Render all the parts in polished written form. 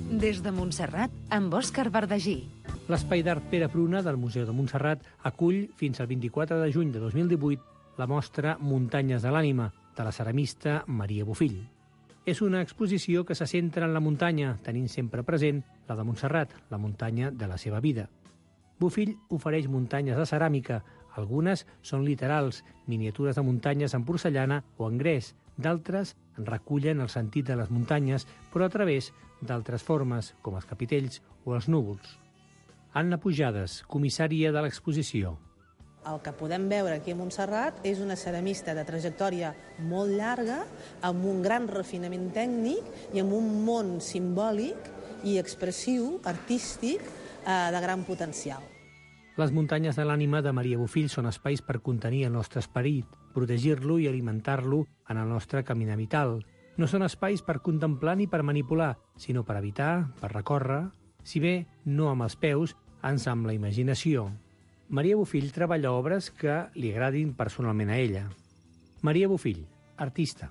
Des de Montserrat, amb Òscar Bardagí. L'Espai d'Art Pere Pruna del Museu de Montserrat acull fins al 24 de juny de 2018 la mostra Muntanyes de l'Ànima, de la ceramista Maria Bofill. És una exposició que se centra en la muntanya, tenint sempre present la de Montserrat, la muntanya de la seva vida. Bofill ofereix muntanyes de ceràmica. Algunes són literals, miniatures de muntanyes en porcellana o en gres. D'altres recullen el sentit de les muntanyes, però a través d'altres formes, com els capitells o els núvols. Anna Pujades, comissària de l'exposició. El que podem veure aquí a Montserrat és una ceramista de trajectòria molt llarga, amb un gran refinament tècnic i amb un món simbòlic i expressiu, artístic, de gran potencial. Les muntanyes de l'ànima de Maria Bofill són espais per contenir el nostre esperit, protegir-lo i alimentar-lo en el nostre caminar vital. No són espais per contemplar ni per manipular, sinó per evitar, per recórrer, si bé no amb els peus, ans amb la imaginació. Maria Bofill treballa obres que li agradin personalment a ella. Maria Bofill, artista.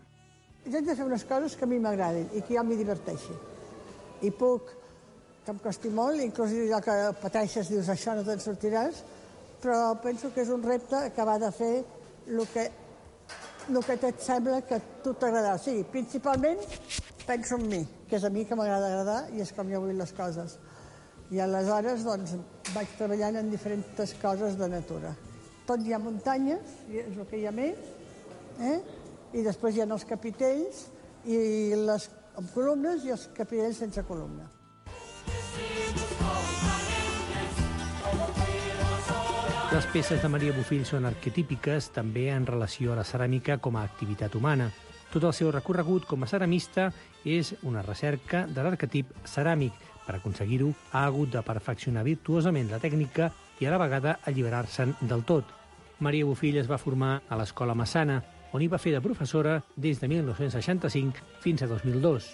Jo he de fer unes coses que a mi m'agradin i que jo m'hi diverteixi. I puc, que em costi molt, inclús allò que pateixes, dius, això no te'n sortiràs, però penso que és un repte que va de fer el que et sembla que a tu t'agradarà. O sigui, principalment penso en mi, que és a mi que m'agrada agradar i és com jo vull les coses. I aleshores doncs, vaig treballant en diferents coses de natura. Tot hi ha muntanyes, és el que hi ha més, i després hi ha els capitells i les amb columnes i els capitells sense columna. Les peces de Maria Bofill són arquetípiques també en relació a la ceràmica com a activitat humana. Tot el seu recorregut com a ceramista és una recerca de l'arquetip ceràmic. Per aconseguir-ho, ha hagut de perfeccionar virtuosament la tècnica i a la vegada alliberar-se'n del tot. Maria Bofill es va formar a l'Escola Massana, on hi va fer de professora des de 1965 fins a 2002.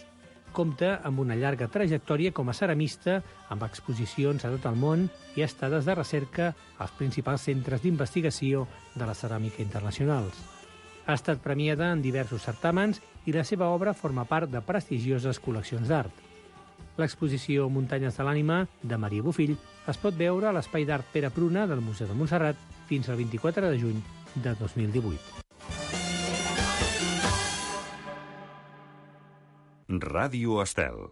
Compta amb una llarga trajectòria com a ceramista, amb exposicions a tot el món i estades de recerca als principals centres d'investigació de la ceràmica internacionals. Ha estat premiada en diversos certàmens i la seva obra forma part de prestigioses col·leccions d'art. L'exposició Muntanyes de l'Ànima de Maria Bofill es pot veure a l'Espai d'Art Pere Pruna del Museu de Montserrat fins al 24 de juny de 2018. Ràdio Estel.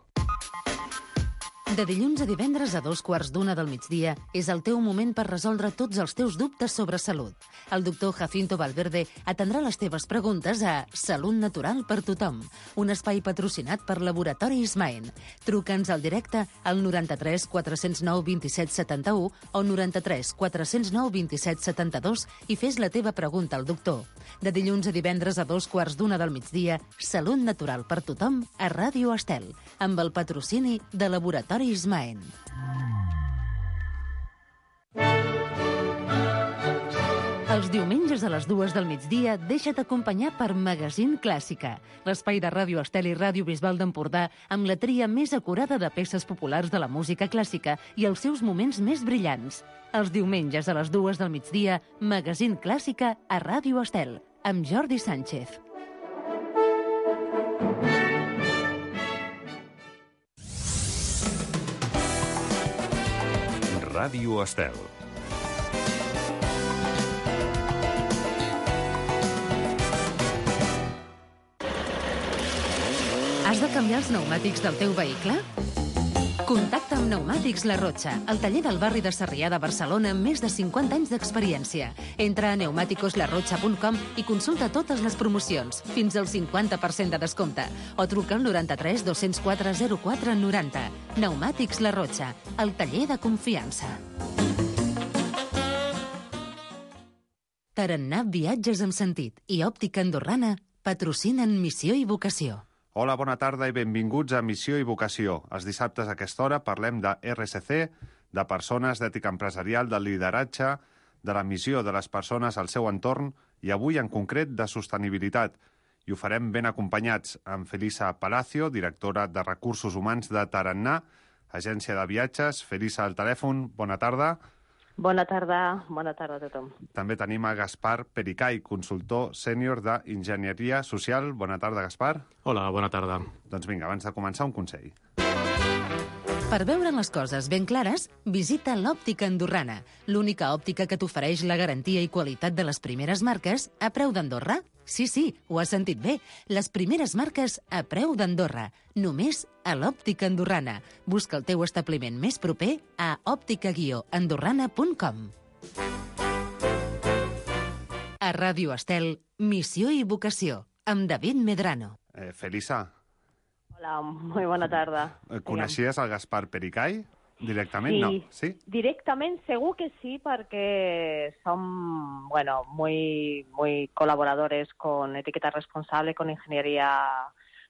De dilluns a divendres a 2:15 del migdia és el teu moment per resoldre tots els teus dubtes sobre salut. El doctor Jacinto Valverde atendrà les teves preguntes a Salut Natural per Tothom, un espai patrocinat per Laboratori Ismaen. Truca'ns al directe al 93 409 27 71 o 93 409 27 72 i fes la teva pregunta al doctor. De dilluns a divendres a 2:15 del migdia, Salut Natural per Tothom a Ràdio Estel, amb el patrocini de Laboratori Ismaen. Els diumenges a les 2 del migdia deixa't acompanyar per Magazín Clàssica, l'espai de Ràdio Estel i Ràdio Bisbal d'Empordà amb la tria més acurada de peces populars de la música clàssica i els seus moments més brillants. Els diumenges a les 2 del migdia, Magazín Clàssica a Ràdio Estel, amb Jordi Sánchez. Ràdio Estel. Has de canviar els pneumàtics del teu vehicle? Contacta amb Pneumàtics La Rotxa, el taller del barri de Sarrià de Barcelona amb més de 50 anys d'experiència. Entra a pneumaticoslarrotxa.com i consulta totes les promocions, fins al 50% de descompte, o truca al 93 204 04 90. Pneumàtics La Rotxa, el taller de confiança. Tarannà Viatges amb Sentit i Òptica Andorrana patrocinen Missió i Vocació. Hola, bona tarda i benvinguts a Missió i Vocació. Els dissabtes a aquesta hora parlem de RSC, de persones, d'ètica empresarial, del lideratge, de la missió de les persones al seu entorn i avui en concret de sostenibilitat. I ho farem ben acompanyats amb Felisa Palacio, directora de Recursos Humans de Tarannà, agència de viatges. Felisa al telèfon, bona tarda. Bona tarda a tothom. També tenim a Gaspar Pericay, consultor sènior d'Enginyeria Social. Bona tarda, Gaspar. Hola, bona tarda. Doncs vinga, abans de començar, un consell. Per veure les coses ben clares, visita l'Òptica Andorrana, l'única òptica que t'ofereix la garantia i qualitat de les primeres marques a preu d'Andorra. Sí, ho has sentit bé. Les primeres marques a preu d'Andorra. Només a l'Òptica Andorrana. Busca el teu establiment més proper a òptica-andorrana.com. A Ràdio Estel, Missió i Vocació, amb David Medrano. Felisa. Hola, muy buena tarde. ¿Coneixies el Gaspar Pericay directament? Sí, No. ¿Sí? directament segur que sí, perquè som, bueno, muy colaboradores con Etiqueta Responsable, con Ingeniería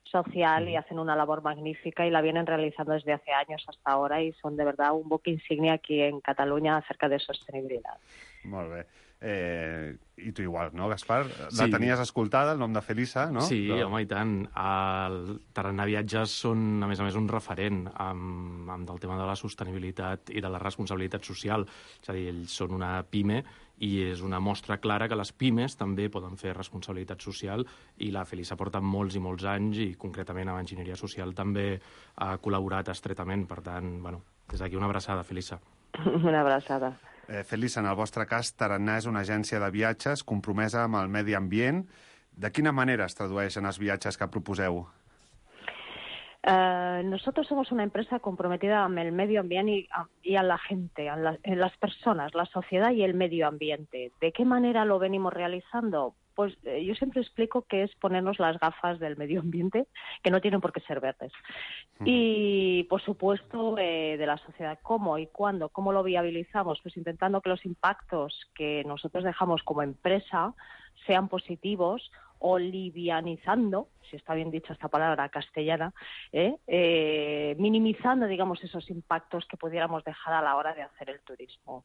Social y hacen una labor magnífica y la vienen realizando desde hace años hasta ahora y son de verdad un buque insignia aquí en Cataluña acerca de sostenibilidad. Molt bé. I tu igual, no, Gaspar? Sí. La tenies escoltada, el nom de Felisa, no? Sí, home, i tant. El Tarannà Viatges són, a més, un referent amb del tema de la sostenibilitat i de la responsabilitat social. És a dir, ells són una PIME i és una mostra clara que les pimes també poden fer responsabilitat social i la Felisa porta molts i molts anys i concretament amb Enginyeria Social també ha col·laborat estretament. Per tant, bueno, des d'aquí una abraçada, Felisa. Una abraçada. Felisa, en el vostre cas, Tarannà és una agència de viatges compromesa amb el medi ambient. De quina manera es tradueixen els viatges que proposeu? Nosotros somos una empresa comprometida con el medio ambiente y a la gente, en las personas, la sociedad y el medio ambiente. ¿De qué manera lo venimos realizando? Pues yo siempre explico que es ponernos las gafas del medio ambiente, que no tienen por qué ser verdes. Y, por supuesto, de la sociedad. ¿Cómo y cuándo? ¿Cómo lo viabilizamos? Pues intentando que los impactos que nosotros dejamos como empresa sean positivos o livianizando, si está bien dicha esta palabra castellana, minimizando, digamos, esos impactos que pudiéramos dejar a la hora de hacer el turismo.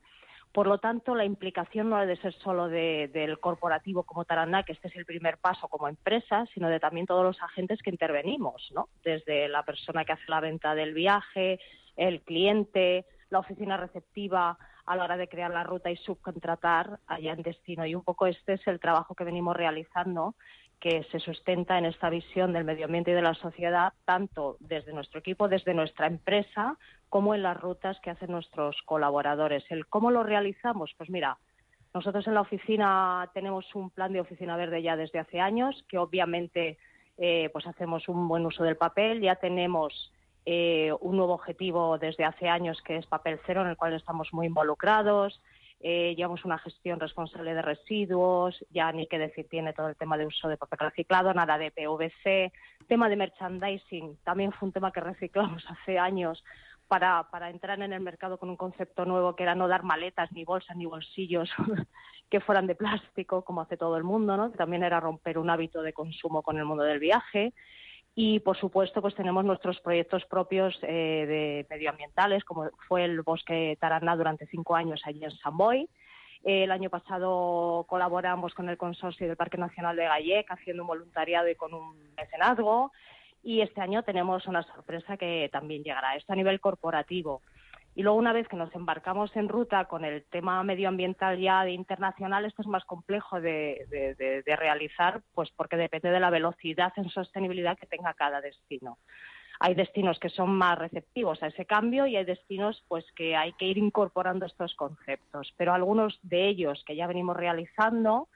Por lo tanto, la implicación no ha de ser solo del corporativo como Tarannà, que este es el primer paso como empresa, sino de también todos los agentes que intervenimos, ¿no? Desde la persona que hace la venta del viaje, el cliente, la oficina receptiva a la hora de crear la ruta y subcontratar allá en destino. Y un poco este es el trabajo que venimos realizando, que se sustenta en esta visión del medio ambiente y de la sociedad, tanto desde nuestro equipo, desde nuestra empresa, como en las rutas que hacen nuestros colaboradores. ¿El cómo lo realizamos? Pues mira, nosotros en la oficina tenemos un plan de oficina verde ya desde hace años, que obviamente pues hacemos un buen uso del papel. Ya tenemos un nuevo objetivo desde hace años, que es papel cero, en el cual estamos muy involucrados. Llevamos una gestión responsable de residuos, ya ni qué decir tiene todo el tema de uso de papel reciclado, nada de PVC. Tema de merchandising, también fue un tema que reciclamos hace años para entrar en el mercado con un concepto nuevo, que era no dar maletas, ni bolsas, ni bolsillos que fueran de plástico, como hace todo el mundo, ¿no? Que también era romper un hábito de consumo con el mundo del viaje. Y, por supuesto, pues tenemos nuestros proyectos propios de medioambientales, como fue el Bosque Tarannà durante 5 años allí en Sant Boi. El año pasado colaboramos con el consorcio del Parque Nacional de Gallec, haciendo un voluntariado y con un mecenazgo. Y este año tenemos una sorpresa que también llegará. Esto a nivel corporativo. Y luego, una vez que nos embarcamos en ruta con el tema medioambiental ya de internacional, esto es más complejo de realizar, pues porque depende de la velocidad en sostenibilidad que tenga cada destino. Hay destinos que son más receptivos a ese cambio y hay destinos pues que hay que ir incorporando estos conceptos. Pero algunos de ellos que ya venimos realizando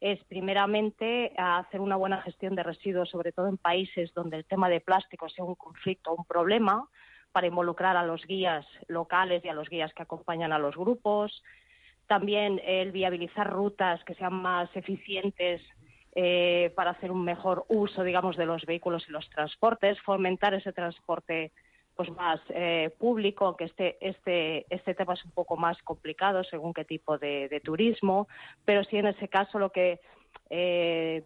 es, primeramente, hacer una buena gestión de residuos, sobre todo en países donde el tema de plástico sea un conflicto o un problema, para involucrar a los guías locales y a los guías que acompañan a los grupos. También el viabilizar rutas que sean más eficientes para hacer un mejor uso, digamos, de los vehículos y los transportes, fomentar ese transporte pues más público, aunque este tema es un poco más complicado según qué tipo de turismo, pero sí en ese caso lo que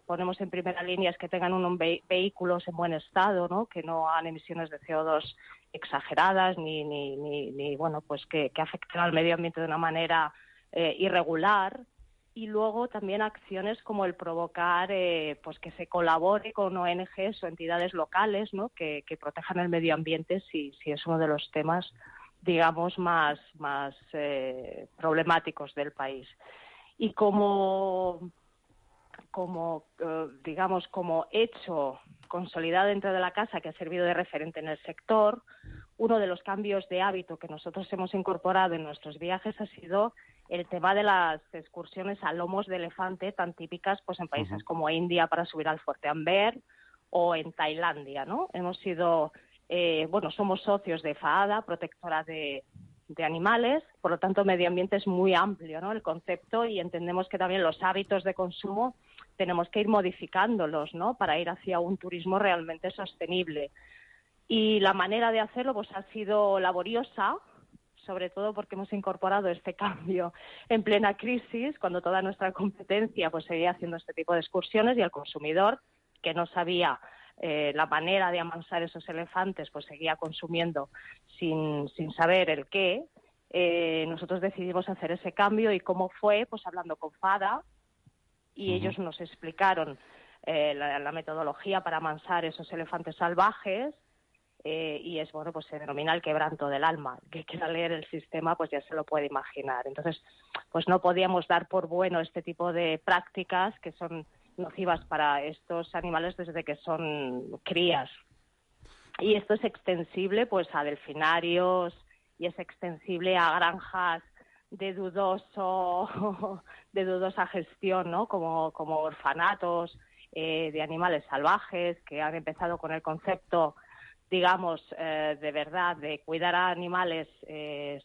ponemos en primera línea es que tengan unos vehículos en buen estado, ¿no? Que no hagan emisiones de CO2 exageradas ni bueno, pues que afecten al medio ambiente de una manera irregular. Y luego también acciones como el provocar pues que se colabore con ONGs o entidades locales, ¿no? que protejan el medio ambiente si es uno de los temas, digamos, más problemáticos del país. Y como hecho consolidado dentro de la casa, que ha servido de referente en el sector, uno de los cambios de hábito que nosotros hemos incorporado en nuestros viajes ha sido el tema de las excursiones a lomos de elefante tan típicas pues en países como India para subir al Fuerte Amber o en Tailandia, ¿no? Hemos sido, somos socios de FAADA, protectora de animales, por lo tanto medio ambiente es muy amplio, ¿no? El concepto, y entendemos que también los hábitos de consumo tenemos que ir modificándolos, ¿no? Para ir hacia un turismo realmente sostenible. Y la manera de hacerlo pues ha sido laboriosa, sobre todo porque hemos incorporado este cambio en plena crisis, cuando toda nuestra competencia pues seguía haciendo este tipo de excursiones y el consumidor, que no sabía la manera de amansar esos elefantes, pues seguía consumiendo sin saber el qué. Nosotros decidimos hacer ese cambio. ¿Y cómo fue? Pues hablando con FAADA, y ellos nos explicaron la metodología para amansar esos elefantes salvajes. Y es, pues se denomina el quebranto del alma. El que quiera leer el sistema, pues ya se lo puede imaginar. Entonces, pues no podíamos dar por bueno este tipo de prácticas que son nocivas para estos animales desde que son crías. Y esto es extensible, pues, a delfinarios y es extensible a granjas de dudosa gestión, ¿no? Como orfanatos de animales salvajes que han empezado con el concepto, digamos, de verdad, de cuidar a animales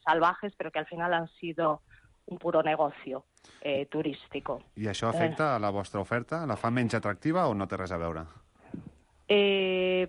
salvajes, pero que al final han sido un puro negocio turístico. I això afecta a la vostra oferta? La fa menys atractiva o no té res a veure?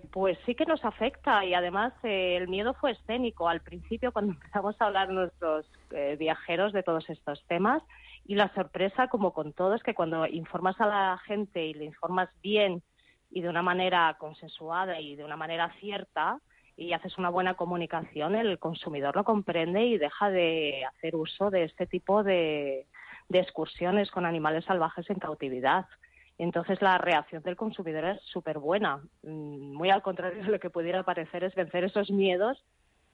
Pues sí que nos afecta, y además el miedo fue escénico al principio cuando empezamos a hablar nuestros viajeros de todos estos temas, y la sorpresa, como con todo, es que cuando informas a la gente y le informas bien y de una manera consensuada y de una manera cierta, y haces una buena comunicación, el consumidor lo comprende y deja de hacer uso de este tipo de excursiones con animales salvajes en cautividad. Entonces la reacción del consumidor es súper buena. Muy al contrario de lo que pudiera parecer, es vencer esos miedos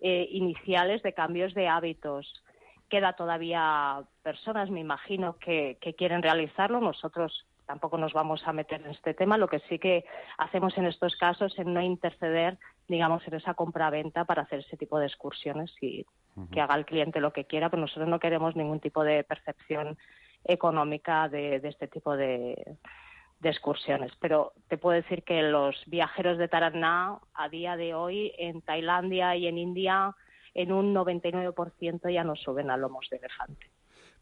iniciales de cambios de hábitos. Queda todavía personas, me imagino, que quieren realizarlo. Nosotros tampoco nos vamos a meter en este tema. Lo que sí que hacemos en estos casos es no interceder, digamos, en esa compraventa para hacer ese tipo de excursiones y que haga el cliente lo que quiera, pero nosotros no queremos ningún tipo de percepción económica de este tipo de excursiones. Pero te puedo decir que los viajeros de tarannà a día de hoy en Tailandia y en India en un 99% ja no suben a lomos d'elefante.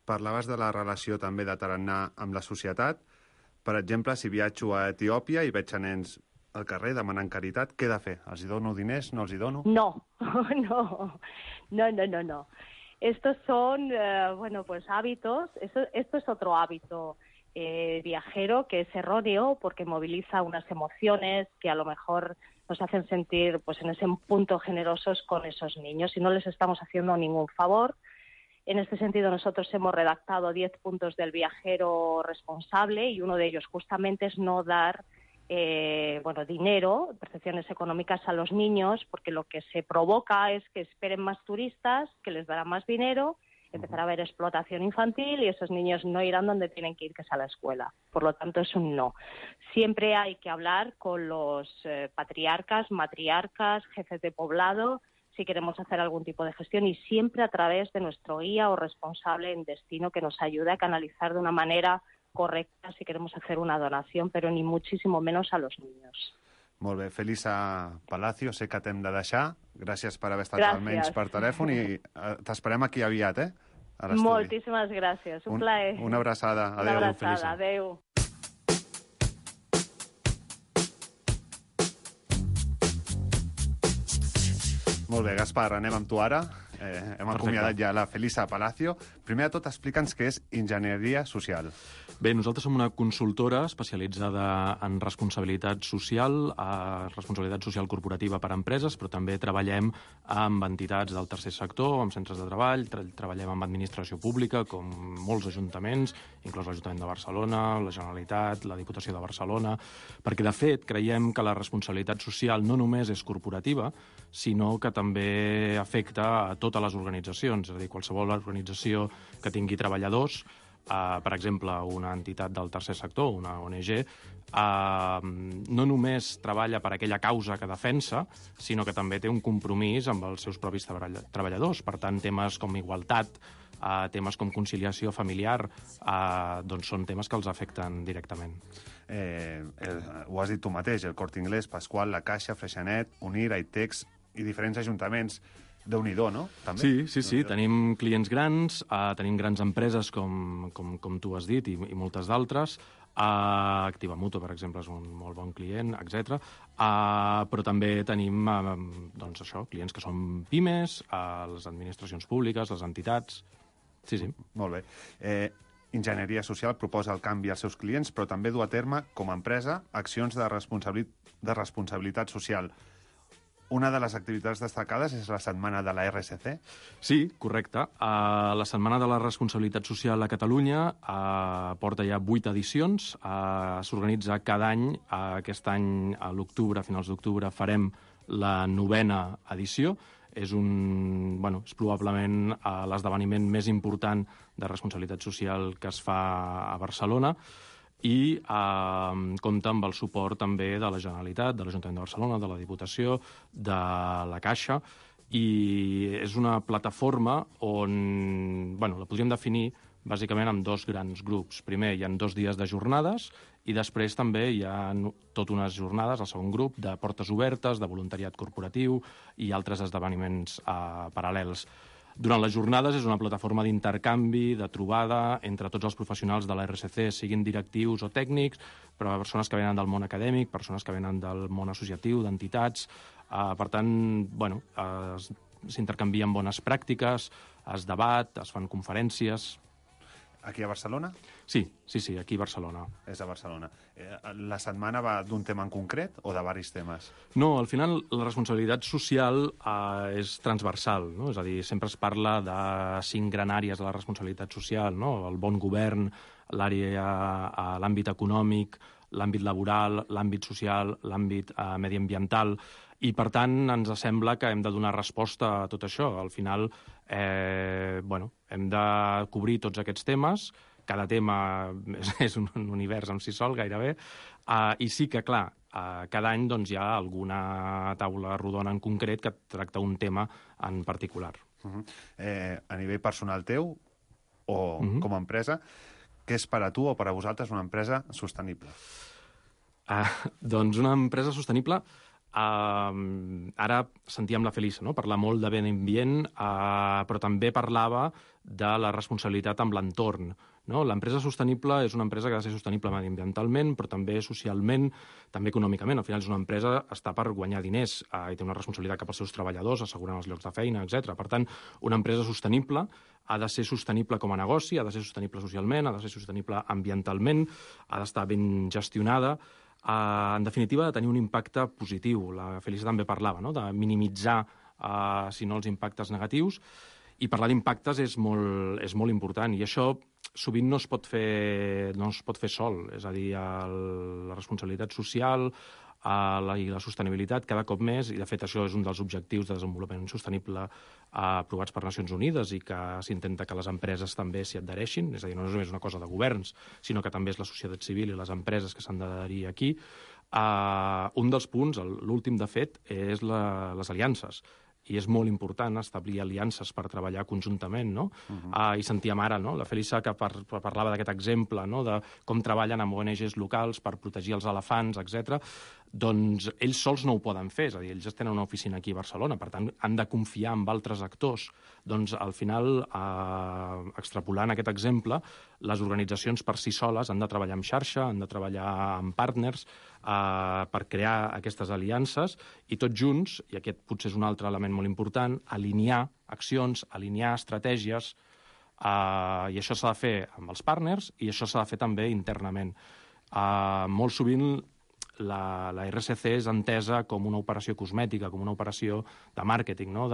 Parlaves de la relació també de tarannà amb la societat. Per exemple, si viatjo a Etiòpia i veig a nens al carrer demanant caritat, què he de fer? Els hi dono diners? No els hi dono? No. Estos son, pues hábitos. Esto es otro hábito viajero que es erróneo porque moviliza unas emociones que a lo mejor nos hacen sentir pues en ese punto generosos con esos niños, y no les estamos haciendo ningún favor. En este sentido, nosotros hemos redactado 10 puntos del viajero responsable, y uno de ellos justamente es no dar dinero, percepciones económicas a los niños, porque lo que se provoca es que esperen más turistas, que les darán más dinero, empezará a haber explotación infantil y esos niños no irán donde tienen que ir, que es a la escuela. Por lo tanto, es un no. Siempre hay que hablar con los patriarcas, matriarcas, jefes de poblado, si queremos hacer algún tipo de gestión, y siempre a través de nuestro guía o responsable en destino, que nos ayude a canalizar de una manera correcta si queremos hacer una donación, pero ni muchísimo menos a los niños. Molt bé, Felisa Palacio, sé que t'hem de deixar. Gràcies per haver estat almenys per telèfon, i t'esperem aquí aviat, a l'estudi. Moltíssimes gràcies, un plaer. Una abraçada. Adéu, una abraçada, Felisa. Adéu. Molt bé, Gaspar, anem amb tu ara. Hem acomiadat ja la Felisa Palacio. Primer de tot, explica'ns què és enginyeria social. Bé, nosaltres som una consultora especialitzada en responsabilitat social corporativa per a empreses, però també treballem amb entitats del tercer sector, amb centres de treball, treballem amb administració pública, com molts ajuntaments, inclús l'Ajuntament de Barcelona, la Generalitat, la Diputació de Barcelona, perquè, de fet, creiem que la responsabilitat social no només és corporativa, sinó que també afecta a totes les organitzacions, és a dir, qualsevol organització que tingui treballadors per exemple, una entitat del tercer sector, una ONG, no només treballa per aquella causa que defensa, sinó que també té un compromís amb els seus propis treballadors. Per tant, temes com igualtat, temes com conciliació familiar, doncs són temes que els afecten directament. Ho has dit tu mateix, el Corte Inglés, Pasqual, La Caixa, Freixenet, Unir, Aitex i diferents ajuntaments. Déu-n'hi-do, no? També? Sí. Tenim clients grans, tenim grans empreses, com tu has dit, i moltes d'altres. Activa Mutua, per exemple, és un molt bon client, etc. Però també tenim doncs això, clients que són pimes, les administracions públiques, les entitats. Sí. Molt bé. Enginyeria Social proposa el canvi als seus clients, però també du a terme, com a empresa, accions de responsabilitat social. Una de les activitats destacades és la Setmana de la RSC? Sí, correcte. La Setmana de la Responsabilitat Social a Catalunya porta ja 8 edicions. S'organitza cada any. Aquest any, a l'octubre, a finals d'octubre, farem la 9a edició. És probablement l'esdeveniment més important de responsabilitat social que es fa a Barcelona, i compta amb el suport també de la Generalitat, de l'Ajuntament de Barcelona, de la Diputació, de la Caixa, i és una plataforma on la podríem definir bàsicament amb 2 grans grups. Primer, hi ha 2 dies de jornades, i després també hi ha tot unes jornades, el segon grup, de portes obertes, de voluntariat corporatiu i altres esdeveniments paral·lels. Durant les jornades és una plataforma d'intercanvi, de trobada entre tots els professionals de la RSC, siguin directius o tècnics, però persones que venen del món acadèmic, persones que venen del món associatiu, d'entitats. Per tant, s'intercanvien bones pràctiques, es debat, es fan conferències. Aquí a Barcelona? Sí, aquí a Barcelona. És a Barcelona. La setmana va d'un tema en concret o de diversos temes? No, al final la responsabilitat social és transversal, no? És a dir, sempre es parla de 5 grans àrees de la responsabilitat social, no? El bon govern, l'àmbit econòmic, l'àmbit laboral, l'àmbit social, l'àmbit mediambiental, i per tant ens sembla que hem de donar resposta a tot això. Al final hem de cobrir tots aquests temes, cada tema és un univers en si sol gairebé, i sí que, clar, cada any hi ha alguna taula rodona en concret que tracta un tema en particular. A nivell personal teu o com a empresa, què és per a tu o per a vosaltres una empresa sostenible? Doncs una empresa sostenible... Ara sentíem la Felisa, no? Parlar molt de medi ambient, però també parlava de la responsabilitat amb l'entorn, no? L'empresa sostenible és una empresa que ha de ser sostenible mediambientalment, però també socialment, també econòmicament. Al final és una empresa que està per guanyar diners i té una responsabilitat cap als seus treballadors, assegurant els llocs de feina, etc. Per tant, una empresa sostenible ha de ser sostenible com a negoci, ha de ser sostenible socialment, ha de ser sostenible ambientalment, ha d'estar ben gestionada. En definitiva, ha de tenir un impacte positiu. La Felisa també parlava, no?, de minimitzar, si no, els impactes negatius. I parlar d'impactes és molt important. I això sovint no es pot fer sol. És a dir, la responsabilitat social i la sostenibilitat cada cop més, i de fet això és un dels objectius de desenvolupament sostenible aprovats per Nacions Unides i que s'intenta que les empreses també s'hi adhereixin, és a dir, no és només una cosa de governs, sinó que també és la societat civil i les empreses que s'han d'adherir aquí. Un dels punts, l'últim de fet, és les aliances. I és molt important establir aliances per treballar conjuntament, no? I sentíem ara, no?, la Felisa que parlava d'aquest exemple, no?, de com treballen amb ONGs locals per protegir els elefants, etc. Doncs ells sols no ho poden fer, és a dir, ells tenen una oficina aquí a Barcelona, per tant, han de confiar en altres actors. Doncs, al final, extrapolant aquest exemple, les organitzacions per si soles han de treballar en xarxa, han de treballar amb partners per crear aquestes aliances i tots junts, i aquest potser és un altre element molt important, alinear accions, alinear estratègies, i això s'ha de fer amb els partners i això s'ha de fer també internament. Molt sovint la RSC és entesa com una operació cosmètica, com una operació de màrqueting, no?,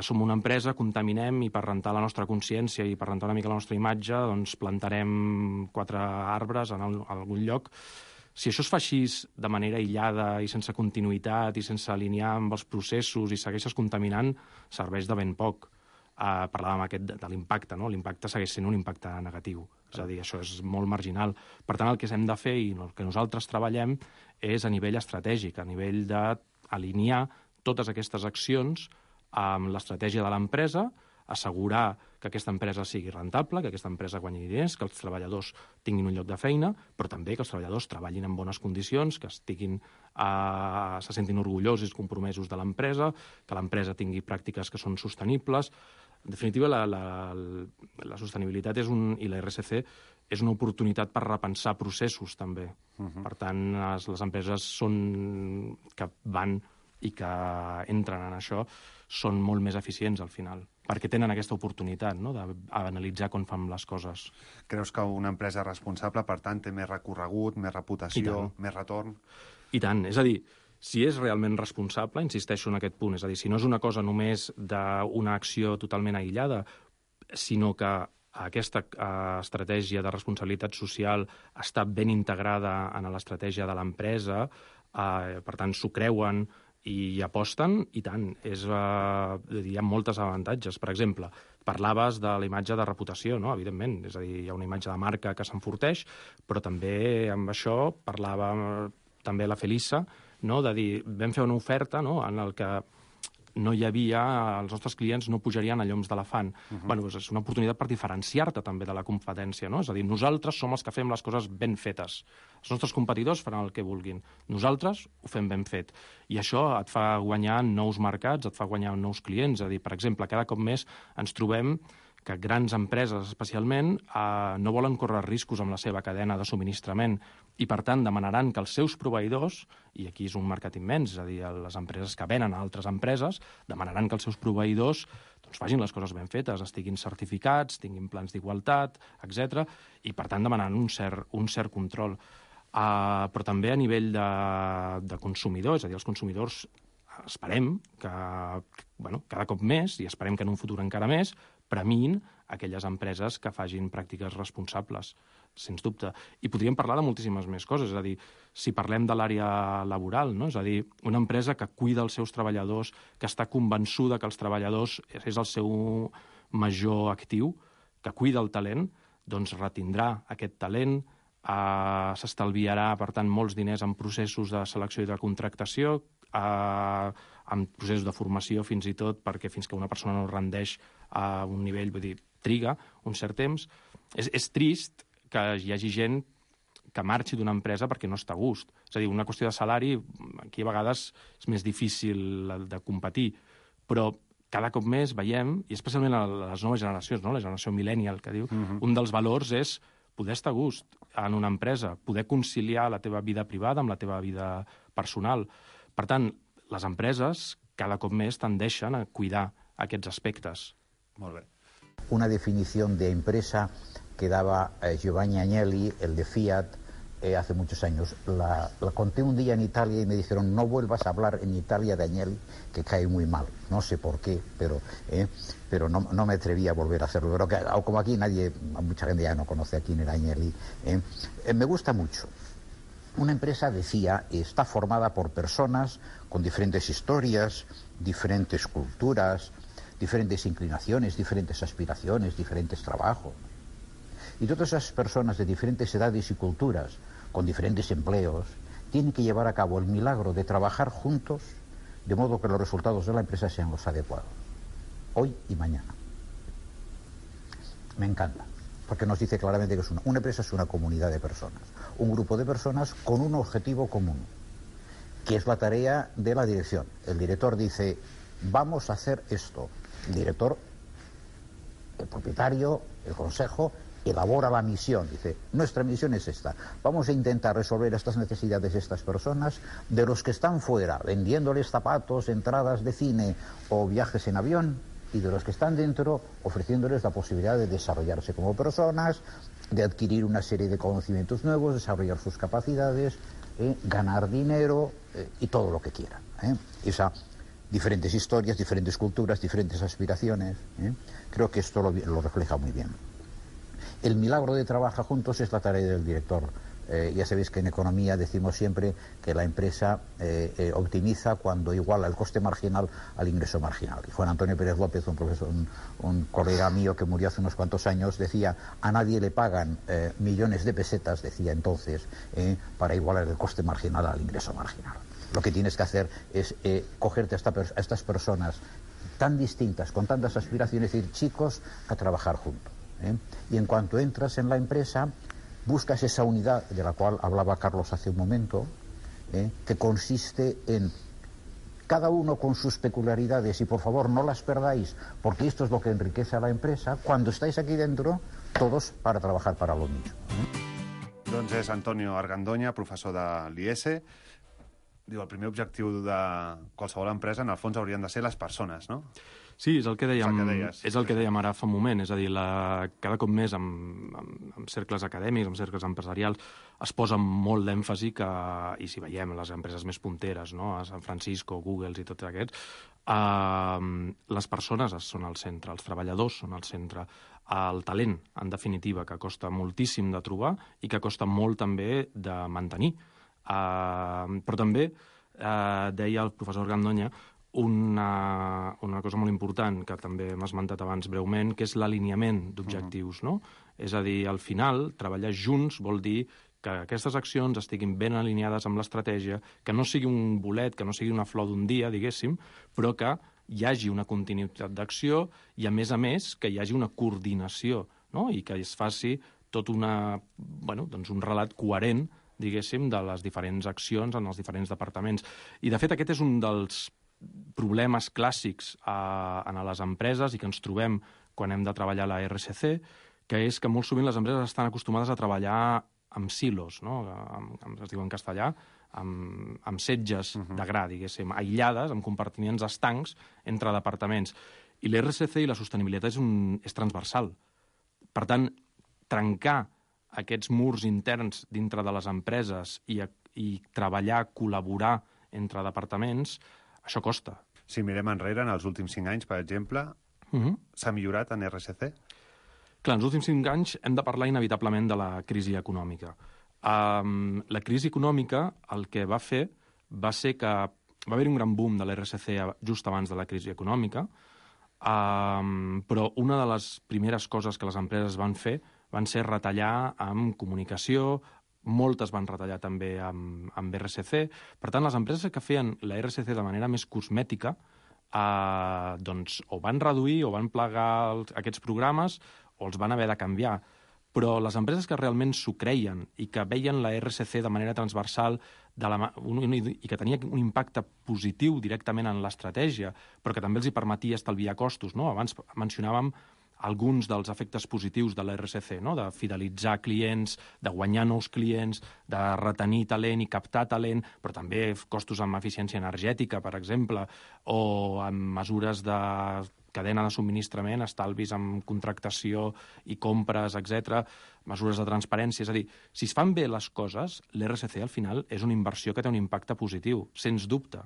som una empresa, contaminem i per rentar la nostra consciència i per rentar una mica la nostra imatge doncs plantarem 4 arbres en algun lloc. Si això es fa així de manera aïllada i sense continuïtat i sense alinear amb els processos i segueixes contaminant, serveix de ben poc. parlàvem de l'impacte, no? L'impacte segueix sent un impacte negatiu, és a dir, això és molt marginal. Per tant, el que hem de fer i el que nosaltres treballem és a nivell estratègic, a nivell d'alinear totes aquestes accions amb l'estratègia de l'empresa, assegurar que aquesta empresa sigui rentable, que aquesta empresa guanyi diners, que els treballadors tinguin un lloc de feina, però també que els treballadors treballin en bones condicions, que se sentin orgullosos i compromesos de l'empresa, que l'empresa tingui pràctiques que són sostenibles. En definitiva, la sostenibilitat i la RSC és una oportunitat per repensar processos, també. Per tant, les empreses que van i que entren en això són molt més eficients al final, perquè tenen aquesta oportunitat, no?, d'analitzar com fan les coses. Creus que una empresa responsable, per tant, té més recorregut, més reputació, més retorn? I tant. És a dir, si és realment responsable, insisteixo en aquest punt, és a dir, si no és una cosa només d'una acció totalment aïllada, sinó que aquesta estratègia de responsabilitat social està ben integrada en l'estratègia de l'empresa, per tant, s'ho creuen i hi aposten, i tant. Hi ha moltes avantatges. Per exemple, parlaves de la imatge de reputació, no? Evidentment, és a dir, hi ha una imatge de marca que s'enforteix, però també amb això parlava també la Felissa, no? De dir, vam fer una oferta, no?, en el que no hi havia, els nostres clients no pujarien a lloms d'elefant. Bueno, és una oportunitat per diferenciar-te també de la competència, no? És a dir, nosaltres som els que fem les coses ben fetes. Els nostres competidors faran el que vulguin. Nosaltres ho fem ben fet. I això et fa guanyar nous mercats, et fa guanyar nous clients. És a dir, per exemple, cada cop més ens trobem que grans empreses, especialment, no volen córrer riscos amb la seva cadena de subministrament i, per tant, demanaran que els seus proveïdors, i aquí és un mercat immens, és a dir, les empreses que venen a altres empreses, demanaran que els seus proveïdors facin les coses ben fetes, estiguin certificats, tinguin plans d'igualtat, etc. I, per tant, demanaran un cert control. Però també a nivell de consumidor, és a dir, els consumidors esperem que, cada cop més, i esperem que en un futur encara més, premin aquelles empreses que facin pràctiques responsables, sens dubte. I podríem parlar de moltíssimes més coses, és a dir, si parlem de l'àrea laboral, no? És a dir, una empresa que cuida els seus treballadors, que està convençuda que els treballadors és el seu major actiu, que cuida el talent, doncs retindrà aquest talent, s'estalviarà, per tant, molts diners en processos de selecció i de contractació, en processos de formació fins i tot, perquè fins que una persona no rendeix a un nivell, vull dir, triga un cert temps. És trist que hi hagi gent que marxi d'una empresa perquè no està a gust. És a dir, una qüestió de salari, aquí a vegades és més difícil de competir, però cada cop més veiem, i especialment a les noves generacions, no? La generació millennial, que diu, un dels valors és poder estar a gust en una empresa, poder conciliar la teva vida privada amb la teva vida personal. Per tant, les empreses cada cop més tendeixen a cuidar aquests aspectes. Molt bé. Una definición de empresa que daba Giovanni Agnelli, el de Fiat, hace muchos años. La conté un día en Italia y me dijeron, no vuelvas a hablar en Italia de Agnelli, que cae muy mal. No sé por qué, pero no me atreví a volver a hacerlo. Pero como aquí mucha gente ya no conoce a quién era Agnelli. Me gusta mucho. Una empresa, decía, está formada por personas con diferentes historias, diferentes culturas, diferentes inclinaciones, diferentes aspiraciones, diferentes trabajos. Y todas esas personas de diferentes edades y culturas, con diferentes empleos, tienen que llevar a cabo el milagro de trabajar juntos, de modo que los resultados de la empresa sean los adecuados, hoy y mañana. Me encanta, porque nos dice claramente que una empresa es una comunidad de personas, un grupo de personas con un objetivo común, que es la tarea de la dirección. El director dice, vamos a hacer esto. El director, el propietario, el consejo, elabora la misión. Dice, nuestra misión es esta. Vamos a intentar resolver estas necesidades de estas personas, de los que están fuera, vendiéndoles zapatos, entradas de cine o viajes en avión, y de los que están dentro, ofreciéndoles la posibilidad de desarrollarse como personas, de adquirir una serie de conocimientos nuevos, desarrollar sus capacidades, ganar dinero y todo lo que quieran. Diferentes historias, diferentes culturas, diferentes aspiraciones. Creo que esto lo refleja muy bien. El milagro de trabajar juntos es la tarea del director Ya sabéis que en economía decimos siempre que la empresa optimiza cuando iguala el coste marginal al ingreso marginal. Y Juan Antonio Pérez López, un profesor, un colega mío que murió hace unos cuantos años, decía: a nadie le pagan millones de pesetas, decía entonces, para igualar el coste marginal al ingreso marginal. Lo que tienes que hacer es cogerte a estas personas tan distintas, con tantas aspiraciones, y decir: chicos, a trabajar juntos. Y en cuanto entras en la empresa, buscas esa unidad de la cual hablaba Carlos hace un momento, que consiste en cada uno con sus peculiaridades, y por favor no las perdáis, porque esto es lo que enriquece a la empresa. Cuando estáis aquí dentro, todos para trabajar para lo mismo. Doncs és Antonio Argandoña, professor de l'IES. Diu, el primer objectiu de qualsevol empresa, en el fons, haurien de ser les persones, no? Sí, és el que dèiem ara fa un moment. És a dir, cada cop més en cercles acadèmics, en cercles empresarials, es posa molt d'èmfasi que, i si veiem les empreses més punteres, no? A San Francisco, Google i tots aquests, les persones són al centre, els treballadors són al centre, el talent, en definitiva, que costa moltíssim de trobar i que costa molt també de mantenir. Però també deia el professor Argandoña una cosa molt important que també hem esmentat abans breument, que és l'alineament d'objectius, no? És a dir, al final, treballar junts vol dir que aquestes accions estiguin ben alineades amb l'estratègia, que no sigui un bolet, que no sigui una flor d'un dia, diguéssim, però que hi hagi una continuïtat d'acció i, a més, que hi hagi una coordinació, no? I que es faci tot un relat coherent, diguéssim, de les diferents accions en els diferents departaments. I, de fet, aquest és un dels problemes clàssics en les empreses i que ens trobem quan hem de treballar a la RSC, que és que molt sovint les empreses estan acostumades a treballar amb silos, no? Es diu en castellà, amb setges de gra, diguéssim, aïllades, amb compartiments estancs entre departaments. I l'RSC i la sostenibilitat és transversal. Per tant, trencar aquests murs interns dintre de les empreses i treballar, col·laborar entre departaments, això costa. Si mirem enrere, en els últims 5 anys, per exemple, s'ha millorat en RSC? Clar, en els últims 5 anys hem de parlar inevitablement de la crisi econòmica. La crisi econòmica el que va fer va ser que va haver un gran boom de l'RSC just abans de la crisi econòmica, però una de les primeres coses que les empreses van fer van ser retallar amb comunicació, moltes van retallar també amb RSC. Per tant, les empreses que feien la RSC de manera més cosmètica doncs o van reduir o van plegar aquests programes o els van haver de canviar. Però les empreses que realment s'ho creien i que veien la RSC de manera transversal i que tenia un impacte positiu directament en l'estratègia, però que també els hi permetia estalviar costos, no? Abans mencionàvem alguns dels efectes positius de l'RSC, no? De fidelitzar clients, de guanyar nous clients, de retenir talent i captar talent, però també costos amb eficiència energètica, per exemple, o amb mesures de cadena de subministrament, estalvis amb contractació i compres, etc., mesures de transparència. És a dir, si es fan bé les coses, l'RSC al final és una inversió que té un impacte positiu, sens dubte,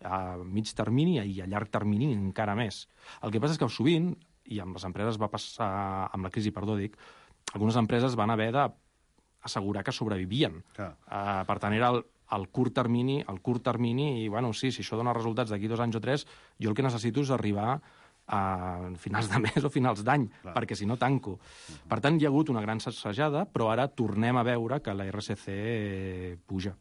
a mig termini i a llarg termini encara més. El que passa és que sovint, i amb les empreses va passar, amb la crisi, algunes empreses van haver d'assegurar que sobrevivien. Per tant, era el curt termini, i, bueno, sí, si això dona resultats d'aquí 2 anys o 3, jo el que necessito és arribar a finals de mes o finals d'any, perquè si no tanco. Per tant, hi ha hagut una gran sacsejada, però ara tornem a veure que la RSC puja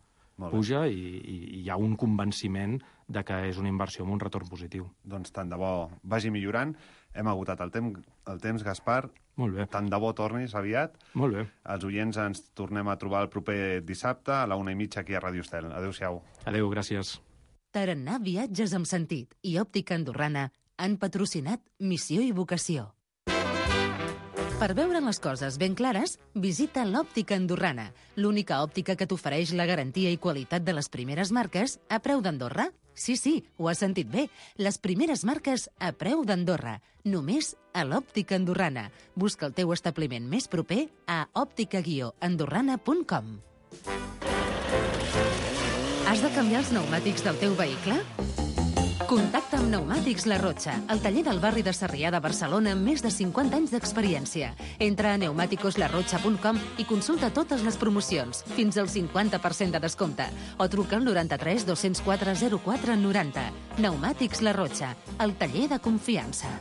i hi ha un convenciment de que és una inversió amb un retorn positiu. Doncs tant de bo vagi millorant. Hem agotat el temps, Gaspar. Molt bé. Tant de bo tornis aviat. Molt bé. Els oients ens tornem a trobar el proper dissabte a la 1:30 aquí a Ràdio Estel. Adéu-siau. Adéu, gràcies. Tarannà Viatges amb Sentit i Òptica Andorrana han patrocinat Missió i Vocació. Per veure les coses ben clares, visita l'Òptica Andorrana, l'única òptica que t'ofereix la garantia i qualitat de les primeres marques a preu d'Andorra. Sí, ho has sentit bé. Les primeres marques a preu d'Andorra. Només a l'Òptica Andorrana. Busca el teu establiment més proper a òptica-andorrana.com. Has de canviar els pneumàtics del teu vehicle? Contacta amb Pneumàtics La Rotxa, el taller del barri de Sarrià de Barcelona amb més de 50 anys d'experiència. Entra a pneumaticoslarrotxa.com i consulta totes les promocions, fins al 50% de descompte, o truca al 93 204 04 90. Pneumàtics La Rotxa, el taller de confiança.